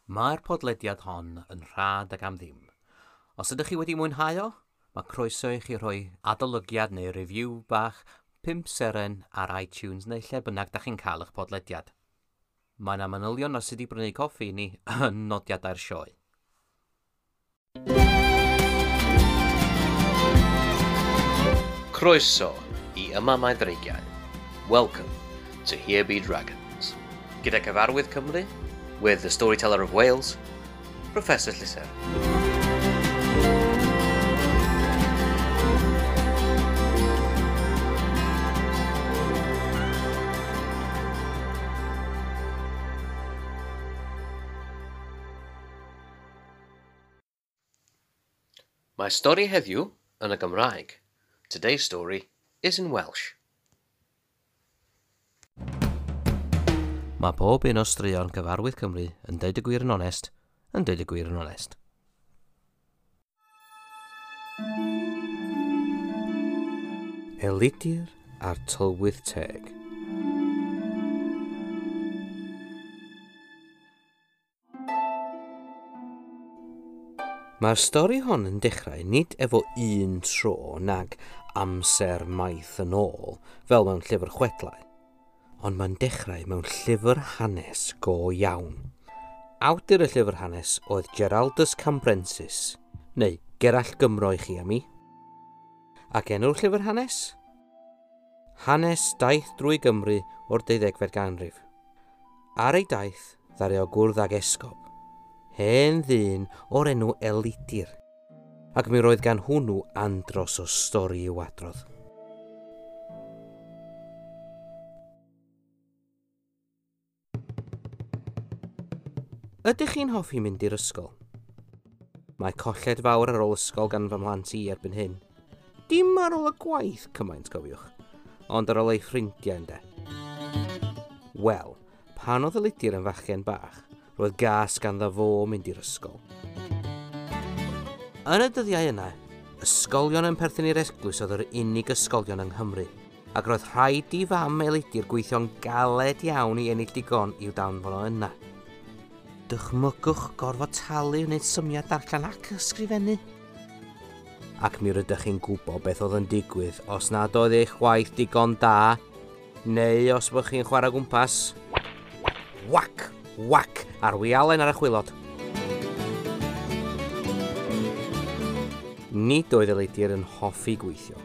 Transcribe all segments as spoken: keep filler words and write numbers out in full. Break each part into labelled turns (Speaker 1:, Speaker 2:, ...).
Speaker 1: Mae'r podlediad hon yn rhad ac am ddim. Os ydych chi wedi mwynhau o, mae croeso i chi rhoi adolygiad neu review bach pump seren ar iTunes neu lle bynnag da chi'n cael eich podlediad. Mae yna manylion ar sut i brynu coffi i ni yn nodiadau'r sioe. Croeso i Yma Mae Dreigiau. Welcome to Here Be Dragons. Gyda cyfarwydd Cymru, with the storyteller of Wales, Professor Llyser. Mae stori heddiw yn y Gymraeg. Today's story is in Welsh. Mae pob un o straeon cyfarwydd Cymru yn deud y gwir yn onest, yn deud y gwir yn onest. Elidir a'r Tylwyth Teg. Mae'r stori hon yn dechrau nid efo un tro nag amser maith yn ôl, fel mewn llyfr chwedlau, ond mae'n dechrau mewn llyfr hanes go iawn. Awdur y llyfr hanes oedd Geraldus Cambrensis, neu Gerallt Gymro i chi a mi. Ac enw'r llyfr hanes? Hanes daith drwy Gymru o'r deuddegfed ganrif. Ar ei daith, ddaru o gwrdd ag esgob, hen ddyn o'r enw Elidir, ac mi roedd gan hwnnw andros o stori i'w adrodd. Ydych chi'n hoffi mynd i'r ysgol? Mae colled fawr ar ôl ysgol gan fy mhlant i erbyn hyn. Dim ar ôl y gwaith cymaint, cofiwch, ond ar ôl ei ffrindiau ynde. Wel, pan oedd Elidir yn fachgen bach, roedd gas ganddo fo mynd i'r ysgol. Yn y dyddiau yna, ysgolion yn perthyn i'r eglwys oedd yr unig ysgolion yng Nghymru, ac roedd rhaid i fam Elidir gweithio'n galed iawn i ennill digon i'w danfon o yna. Dychmygwch gorfod talu wneud symiau darllen ac ysgrifennu. Ac mi rydych chi'n gwybod beth oedd yn digwydd os nad oedd eich gwaith digon da, neu os bych chi'n chwarae gwmpas. Wac! Wac! A'r wialen ar y chwilod. Nid oedd Elidir yn hoffi gweithio.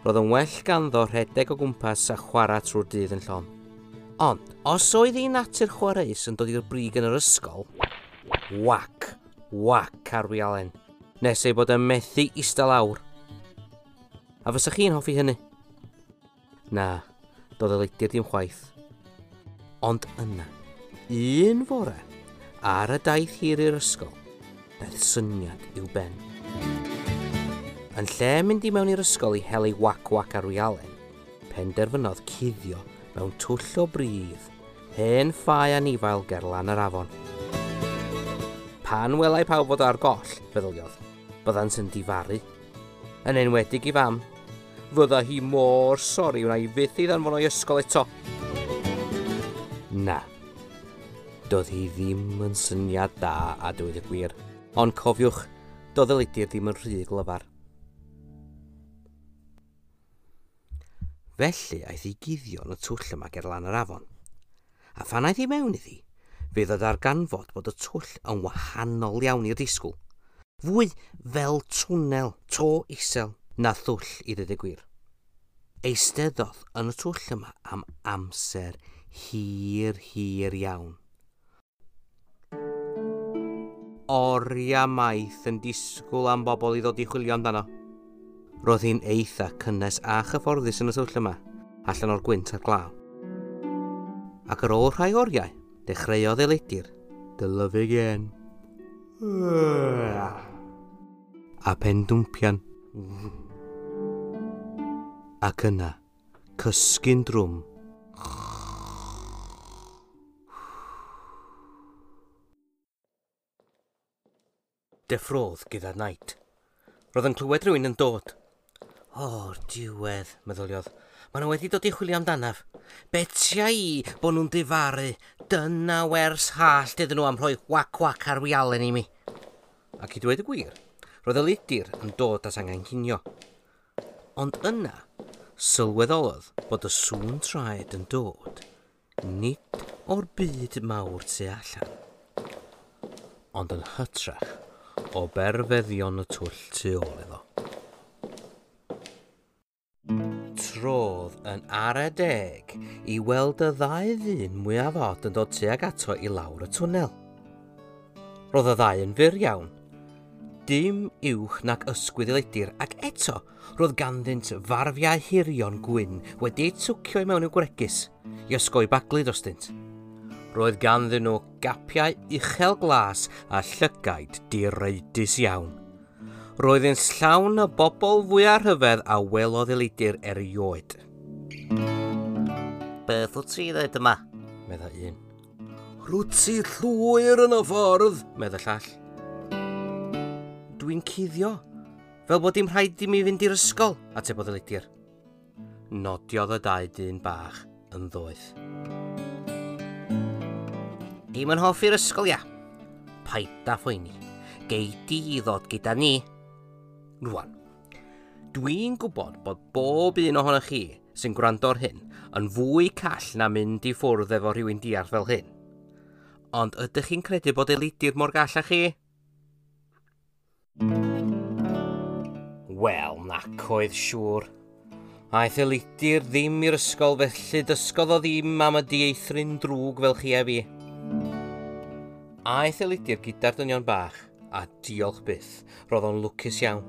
Speaker 1: Roedd yn well ganddo rhedeg o gwmpas a chwarae trwy'r dydd yn llon. Ond, os oedd ei natur chwareus yn dod i'r brig yn yr ysgol, wac, wac ar wialen, nes ei bod yn methu ista lawr. A fysa chi'n hoffi hynny? Na, doedd Elidir ddim chwaith. Ond yna, un fore, ar y daith hir i'r ysgol, daeth syniad i'w ben. Yn lle mynd i mewn i'r ysgol i hel ei wac-wac ar wialen, penderfynodd cuddio mewn twll o bridd, hen ffau anifail ger lan yr afon. Pan welai pawb fod ar goll, feddyliodd, byddant yn difaru. Yn enwedig i fam, fydda hi mor sori wna i fyth i ddanfon o'i ysgol eto. Na, doedd hi ddim yn syniad da a dweud y gwir, ond cofiwch, doedd Elidir ddim yn rhy glyfar. Felly aeth i guddio yn y twll yma ger lan yr afon. A phan aeth i mewn iddi, fe ddod darganfod bod y twll yn wahanol iawn i'r disgwyl. Fwy fel twnnel, to isel, na thwll i ddweud y gwir. Eisteddodd yn y twll yma am amser hir, hir iawn. Oriau maith yn disgwyl am bobl i ddod i chwilio amdano. Roedd hi'n eitha cynnes a chyfforddus yn y twll yma, allan o'r gwynt a'r glaw. Ac ar ôl rhai oriau, dechreuodd Elidir dylyfu gen. A pendwmpian. Ac yna, cysgu'n drwm. Deffrodd gyda night. Roedd yn clywed rhywun yn dod. O'r diwedd, meddyliodd. Maen nhw wedi dod i chwilio amdanaf. Betia i bod nhw'n difaru. Dyna wers hallt iddyn nhw am rhoi wac-wac ar wialen i mi. Ac i dweud y gwir, roedd Elidir yn dod at angen cinio. Ond yna, sylweddolodd bod y sŵn traed yn dod, nid o'r byd mawr tu allan, ond yn hytrach o berfeddion y twll tu ôl iddo. Trodd yn ara deg i weld y ddau ddyn mwyaf od yn dod tuag ato i lawr y twnnel. Roedd y ddau yn fyr iawn, dim uwch nag ysgwydd Elidir, ac eto roedd ganddynt farfiau hirion gwyn wedi'u twcio i mewn i'w gwregys i osgoi baglu drostynt. Roedd ganddyn nhw gapiau uchel glas a llygaid direidus iawn. Roedd yn llawn y bobl fwyaf rhyfedd a welodd Elidir erioed. Beth wyt ti ddweud yma? Meddai un. Rwyt ti llwyr yn y ffordd, meddai llall. Dwi'n cuddio, fel bod dim rhaid i mi fynd i'r ysgol, atebodd Elidir. Nodiodd y dau dyn bach yn ddoeth. Dim yn hoffi'r ysgol, ia. Paid â phoeni. Gei di i ddod gyda ni. Rwan, dwi'n gwybod bod bob un ohonoch chi sy'n gwrando ar hyn yn fwy call na mynd i ffwrdd efo rhywun diarth fel hyn. Ond ydych chi'n credu bod Elidir mor gall â chi? Wel, nac oedd siŵr. Aeth Elidir ddim i'r ysgol, felly dysgodd o ddim am y dieithryn drwg fel chi a fi. Aeth Elidir gyda'r dynion bach, a diolch byth, roedd o'n lwcus iawn.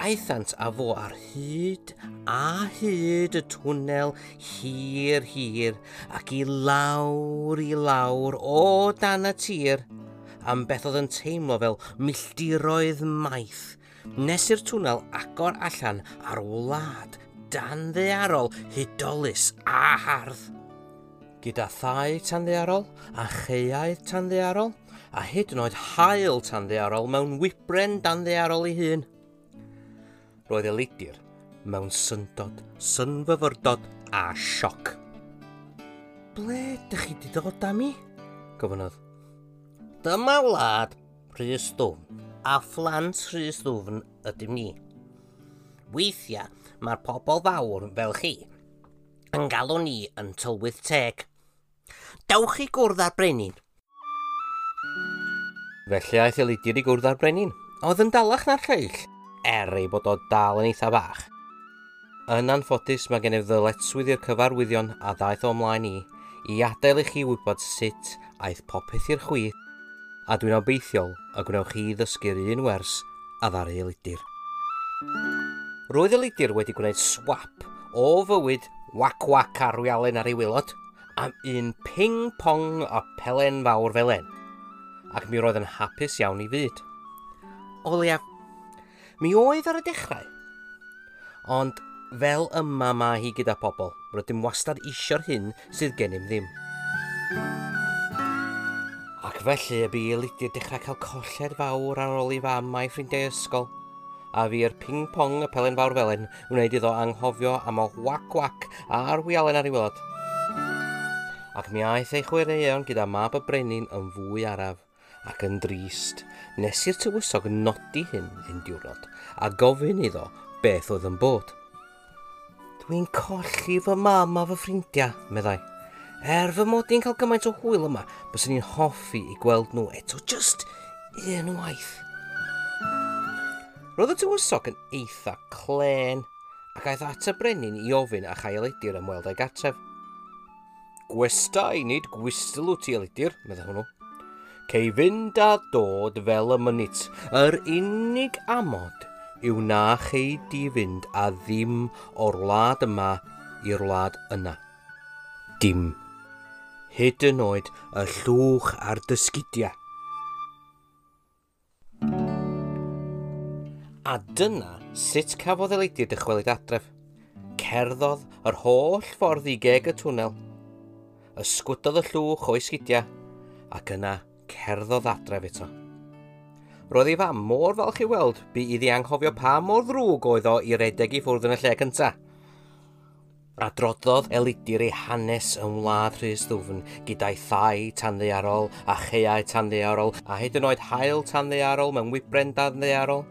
Speaker 1: Aethant â fo ar hyd a hyd y twnnel hir hir ac i lawr i lawr o dan y tir am beth oedd yn teimlo fel milltiroedd maith, nes i'r twnnel agor allan ar wlad danddaearol hudolus a hardd. Gyda thai tanddaearol a chaeau tanddaearol a hyd yn oed haul tanddaearol mewn wybren danddaearol ei hun. Roedd Elidir mewn syndod, synfyfyrdod a sioc. Ble ydych chi wedi dod â mi? Gofynnodd. Dyma wlad Rhys Ddwfn, a phlant Rhys Ddwfn ydym ni. Weithiau mae'r pobl fawr fel chi yn galw ni yn tylwyth teg. Dewch i gwrdd â'r brenin. Felly aeth Elidir i gwrdd â'r brenin, oedd yn dalach na'r lleill, er ei bod o dal yn eitha bach. Yn anffodus, mae gennyf ddyletswydd i'r cyfarwyddion a ddaeth o ymlaen i, i adael i chi wybod sut aeth popeth i'r chwith, a dwi'n obeithiol y gwnewch chi ddysgu'r un wers a ddaru Elidir. Roedd Elidir wedi gwneud swap o fywyd wac-wac ar wialen ar ei waelod am un ping-pong a pelen fawr felen, ac mi roedd yn hapus iawn i fyd. O leiaf, mi oedd ar y dechrau. Ond fel yma mae hi gyda pobl, rydym wastad isio'r hyn sydd gennym ddim. Ac felly y bu Elidir dechrau cael colled fawr ar ôl i fam a'i ffrindiau ysgol, a fu'r ping-pong y pelen fawr felen wneud iddo anghofio am y wac-wac a'r wialen ar ei waelod. Ac mi aeth ei chwaraeon gyda mab y brenin yn fwy araf ac yn drist, nes i'r tywysog nodi hyn un diwrnod a gofyn iddo beth oedd yn bod. Dwi'n colli fy mam a fy ffrindiau, meddai. Er fy mod i'n cael gymaint o hwyl yma, byswn i'n hoffi i gweld nhw eto just un waith. Roedd y tywysog yn eitha clên, ac aeth at y brenin i ofyn a chael Elidir ymweld â'i gartref. Gwestai nid gwystl wyt ti, Elidir, meddai hwnnw. Cei fynd a dod fel y mynit. Yr unig amod yw na chei di fynd a ddim o'r wlad yma i'r wlad yna. Dim. Hyd yn oed y llwch a'r dysgidiau. A dyna sut cafodd Elidir dychwelyd adref. Cerddodd yr holl ffordd i geg y twnnel. Ysgwydodd y llwch o'i sgidiau, ac yna cerddodd adref eto. Roedd ei fam mor falch i weld bu iddi anghofio pa mor ddrwg oedd o i redeg i ffwrdd yn y lle cyntaf. Adroddodd Elidir ei hanes yn wlad Rhys Ddwfn gyda'i thai tanddaearol a chaeau tanddaearol a hyd yn oed haul tanddaearol mewn wybren danddaearol.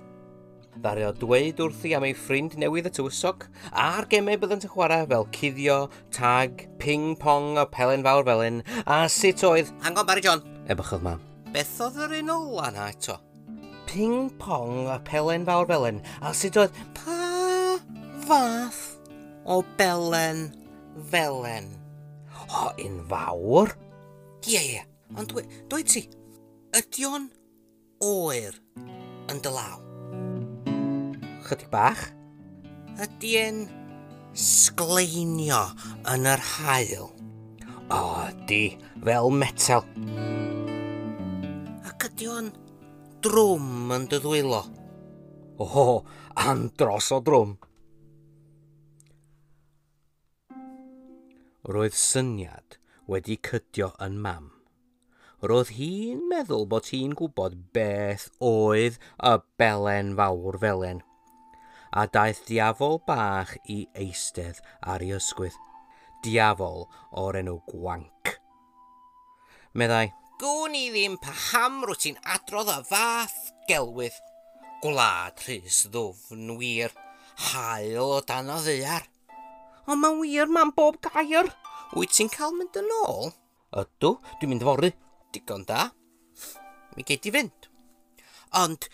Speaker 1: Ddaru o dweud wrthi am ei ffrind newydd y tywysog a'r gemau byddant yn chwarae fel cuddio, tag, ping-pong a pelen fawr felyn a sut oedd... Hang on, Barry John, ebychodd mam. Beth oedd yr un ola na eto? Ping-pong a pelen fawr felyn a sut oedd... Pa fath o belen felen? O, un fawr? Ie, ie, ond dwi, dweud ti, ydy o'n oer yn dy law? Chydig bach. Ydy e'n sgleinio yn yr haul? O, ydy, fel metel. Ac ydy o'n drwm yn dy ddwylo? O, andros o drwm. Roedd syniad wedi cydio yn mam. Roedd hi'n meddwl bod hi'n gwybod beth oedd y belen fawr felen, a daeth diafol bach i eistedd ar ei ysgwydd. Diafol o'r enw Gwanc. Meddai, gwn i ddim paham rwyt ti'n adrodd y fath gelwydd. Gwlad Rhys Ddwfn wir, haul o dan o ddaear. Ond mae'n wir, mam, bob gair. Wyt ti'n cael mynd yn ôl? Ydw, dwi'n mynd fory. Digon da. Mi gei di fynd. Ond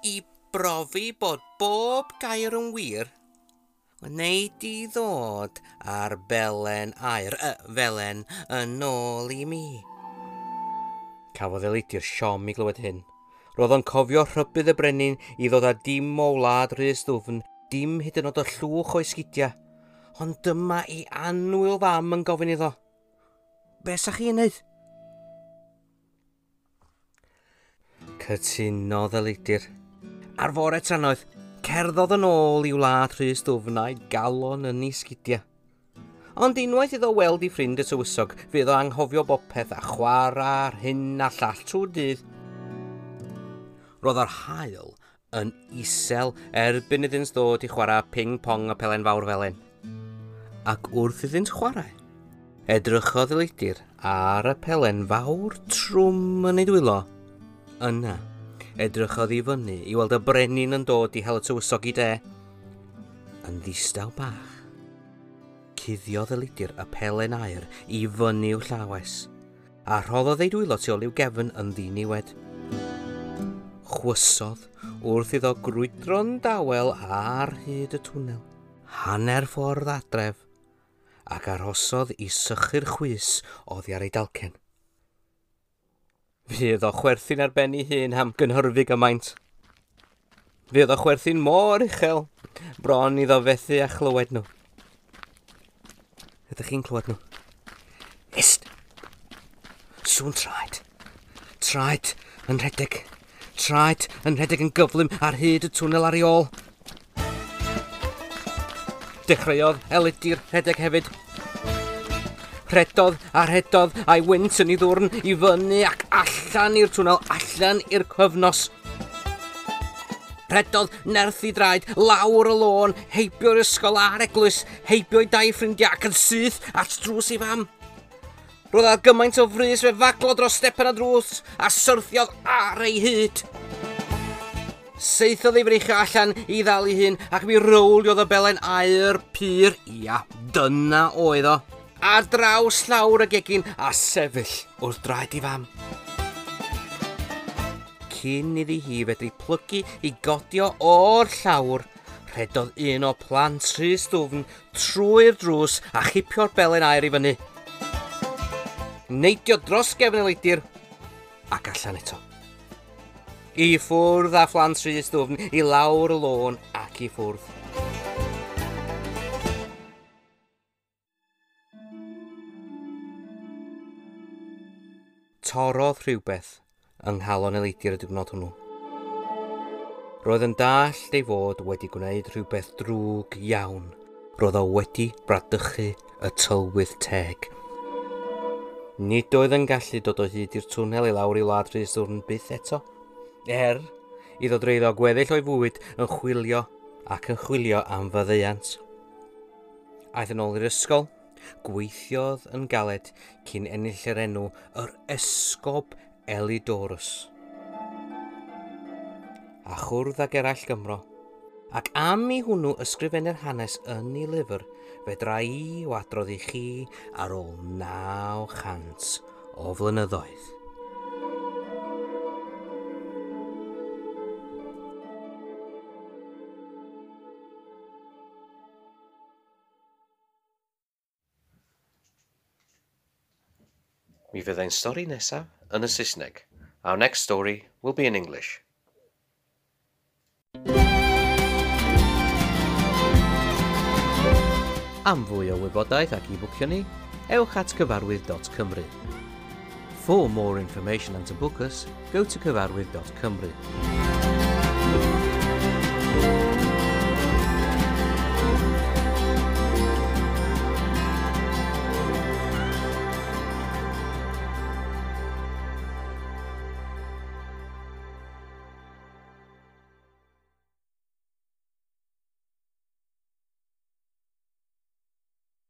Speaker 1: i brofi bod bob gair yn wir, wnei di ddod ar belen aur, y felen, yn ôl i mi. Cafodd Elidir siom i glywed hyn. Roedd o'n cofio rhybudd y brenin i ddod â dim o wlad Rhys Ddwfn, dim hyd yn oed o llwch o'i sgidiau. Ond dyma ei annwyl fam yn gofyn iddo. Be sa chi'n neud? Cytunodd Elidir. Ar fore trannoeth, cerddodd yn ôl i wlad Rhys Ddwfn a'i galon yn ei sgidiau. Ond unwaith iddo weld ei ffrind y tywysog, fydd o anghofio bopeth a chwarae'r hyn a llall trwy'r dydd. Roedd yr haul yn isel erbyn iddynt ddod i chwarae ping-pong a pelen fawr felen. Ac wrth iddynt chwarae, edrychodd Elidir ar y pelen fawr trwm yn ei dwylo. Yna, edrychodd i fyny i weld y brenin yn dod i hel y tywysog i de. Yn ddistaw bach, cuddiodd Elidir y pelen aur i fyny i'w llawes, a rhoddodd ei dwylo tu ôl i'w gefn yn ddiniwed. Chwysodd wrth iddo grwydro'n dawel ar hyd y twnnel, hanner ffordd adref, ac arhosodd i sychu'r chwys oddi ar ei dalcen. Fydd o chwerthin ar ben ei hun am gynhyrfu gymaint. Fydd o chwerthin mor uchel, bron iddo fethu a chlywed nhw. Ydych chi'n clywed nhw? Ist! Sŵn traed. Traed yn rhedeg. Traed yn rhedeg yn gyflym ar hyd y twnnel ar ei ôl. Dechreuodd Elidir rhedeg hefyd. Rhedodd a rhedodd a'i wynt yn ei ddwrn i fyny ac allan i'r twnnel, allan i'r cyfnos. Rhedodd nerth i draed, lawr y lôn, heibio'r ysgol a'r eglwys, heibio'i dau ffrindiau ac yn syth at drws ei fam. Roedd ar gymaint o frys fe faglo dros stepen a drws a syrthiodd ar ei hyd. Seithodd ei freichio allan i ddal ei hun ac mi rowliodd y belen aur pur, ia, dyna oedd o, ar draws llawr y gegin a sefyll wrth draed ei fam. Cyn iddi hi fedru plygu i godio o'r llawr, rhedodd un o plant Rhys Ddwfn trwy'r drws a chipio'r belen aur i fyny. Neidio dros gefn Elidir ac allan eto. I ffwrdd â phlant Rhys Ddwfn, i lawr y lôn ac i ffwrdd. Torrodd rhywbeth yng nghalon Elidir y diwrnod hwnnw. Roedd yn dallt ei fod wedi gwneud rhywbeth drwg iawn. Roedd o wedi bradychu y tylwyth teg. Nid oedd yn gallu dod o hyd i'r twnnel i lawr i wlad Rhys Ddwfn byth eto. Er iddo dreulio gweddill o'i fywyd yn chwilio ac yn chwilio am faddeuant. Aeth yn ôl i'r ysgol, gweithiodd yn galed cyn ennill yr enw yr Esgob Elidorus. A chwrdd ag eraill Gymro. Ac am i hwnnw ysgrifennu'r hanes yn ei lyfr, fedra i o adrodd i chi ar ôl naw chant o flynyddoedd. Mi fydd ein stori nesaf yn y Saesneg. Our next story will be in English. Am fwy o wybodaeth ac i bwcio ni, ewch at cyfarwydd dot cymru. For more information and to book us, go to cyfarwydd dot cymru.